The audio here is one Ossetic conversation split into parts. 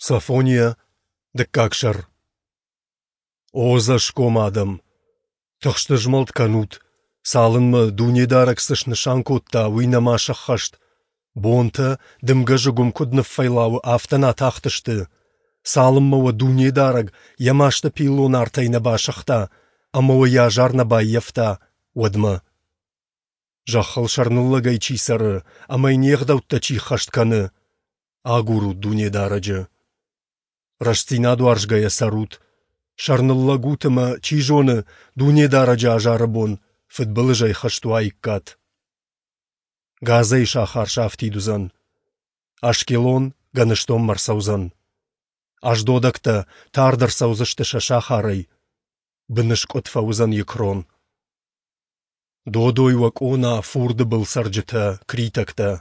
Софония, дыккаг сӕр. О ӕдзӕсгом адӕм! Тыхстызмӕлд кӕнут, цалынмӕ, Дунедарӕг цы снысан кодта, уый нӕма сӕххӕст. Бонтӕ, дымгӕ зыгуым куыд ныффӕйлауы, афтӕ нӕ атахтысты. Цалынмӕ уӕ Дунедарӕг йӕ масты пиллон артӕй нӕ басыгъта ӕмӕ уӕ йӕ азар нӕ баййӕфта, уӕдмӕ. Зӕххыл сӕрныллӕгӕй чи цӕры ӕмӕ йын йе гъдӕуттӕ чи ӕххӕст кӕны, агурут Дунедарӕджы. Рӕстдзинад уарзгӕйӕ цӕрут, сӕрныллӕг ут ӕмӕ, чи зоны, Дунедарӕджы азары бон фыдбылызӕй хызт уаиккат. Газӕйы сахар сафтид уыдзӕн, Ашкелон гӕныстонмӕ ӕрцӕудзӕн. Ашдодӕгтӕ тард ӕрцӕудзысты сӕ сахарӕй, быныскъуыд фӕуыдзӕн Екрон. Додой уӕ къона, фурды был цӕрджытӕ, критӕгтӕ!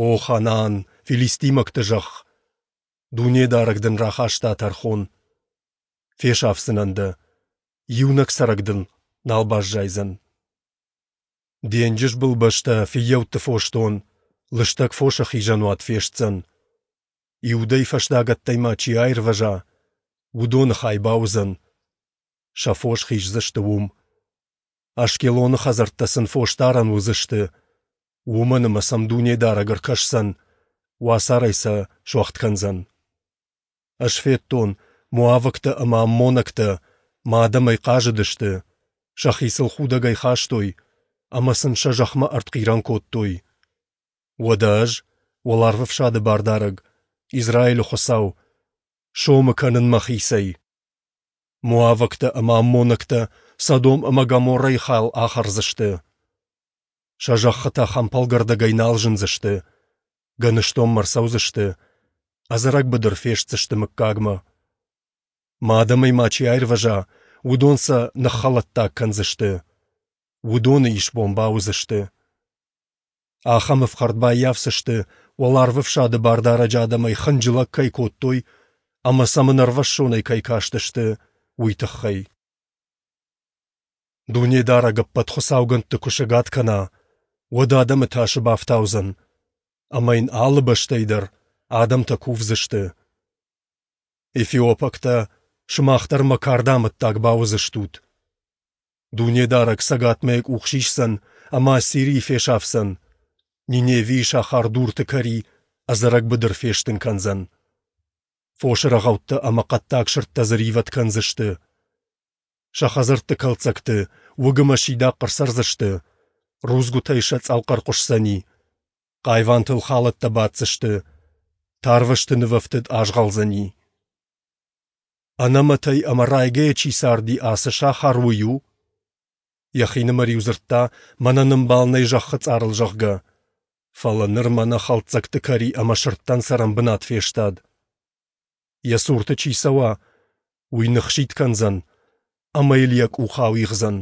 О, Ханаан, филистимӕгты зӕхх! Дунедарӕг дын рахаста тӕрхон. Фесафдзынӕн дӕ, иунӕг цӕрӕг дын нал баззайдзӕн. Денджызбыл бӕстӕ фыййӕутты фосдон, лыстӕг фосы хизӕнуат фестдзӕн. Иудӕй фӕстагӕттӕй ма чи аирвӕза, уыдоны хай бауыдзӕн. Сӕ фос хиздзысты уым. Ашкелоны хӕдзӕрттӕ сын фосдарӕн уыдзысты, уымӕн ӕмӕ сӕм Дунедарӕг ӕркӕсдзӕн, уацарӕй сӕ суӕгъд кӕндзӕн. Ӕз федтон, моавӕгтӕ ӕмӕ аммонӕгтӕ мӕ адӕмӕй хъазыдысты, сӕхи сыл худӕгӕй хастой ӕмӕ сын сӕ зӕхмӕ ӕртхъирӕн кодтой. Уӕдӕ ӕз, Уӕларвӕфсады Бардарӕг, Израилы Хуыцау, сомы кӕнын мӕхицӕй. Моавӕгтӕ ӕмӕ аммонӕгтӕ Содом ӕмӕ Гоморрӕйы хал ахӕрдзысты. Сӕ зӕххытӕ хӕмпӕлгӕрдӕгӕй нал зындзысты, гӕныстонмӕ ӕрцӕудзысты, ӕдзӕрӕг быдыр фестдзысты мыггагмӕ. Мӕ адӕмӕй ма чи аирвӕза, уыдон сӕ ныххӕлӕттаг кӕндзысты, уыдоны исбон бауыдзысты. Ахӕм ӕфхӕрд баййафдзысты, Уӕларвӕфсады Бардарӕджы адӕмӕй хынджылӕг кӕй кодтой ӕмӕ сӕм ӕнӕрвӕссонӕй кӕй кастысты, уый тыххӕй. Дунедарӕг ӕппӕт хуыцаугӕндты куы сӕгад кӕна, уӕд адӕмы тасы бафтаудзӕн, ӕмӕ йын алы бӕстӕй дӕр адӕмтӕ кувдзысты. Эфиопӕгтӕ, сымах дӕр мӕ карды амӕттаг бауыдзыстут. Дунедарӕг цӕгатмӕ йӕ къух сисдзӕн ӕмӕ Ассирийы фесафдзӕн, Ниневийы сахар дурты кӕри ӕдзӕрӕг быдыр фестын кӕндзӕн. Фосы рӕгъӕуттӕ ӕмӕ хъӕддаг сырдтӕ дзы ривӕд кӕндзысты. Сӕ хӕдзӕртты кӕлддзӕгты уыг ӕмӕ сидахъ ӕрцӕрдзысты, рудзгуытӕй сӕ цъӕлхъӕр хъуысдзӕни, хъайвантыл халӕттӕ баддзысты, тарвӕзты нывӕфтыд азгъӕлдзӕни. Ӕнӕмӕтӕй ӕмӕ райгӕйӕ чи царди, ацы сахар уый у? Йӕхинымӕр-иу дзырдта, мӕнӕн ӕмбал нӕй зӕххы цъарыл, зӕгъгӕ. Фӕлӕ ныр мӕнӕ хӕлддзӕгты кӕри ӕмӕ сырдтӕн цӕрӕнбынат фестад. Йӕ цурты чи цӕуа, уый ныхситт кӕндзӕн ӕмӕ йыл йӕ къух ауигъдзӕн.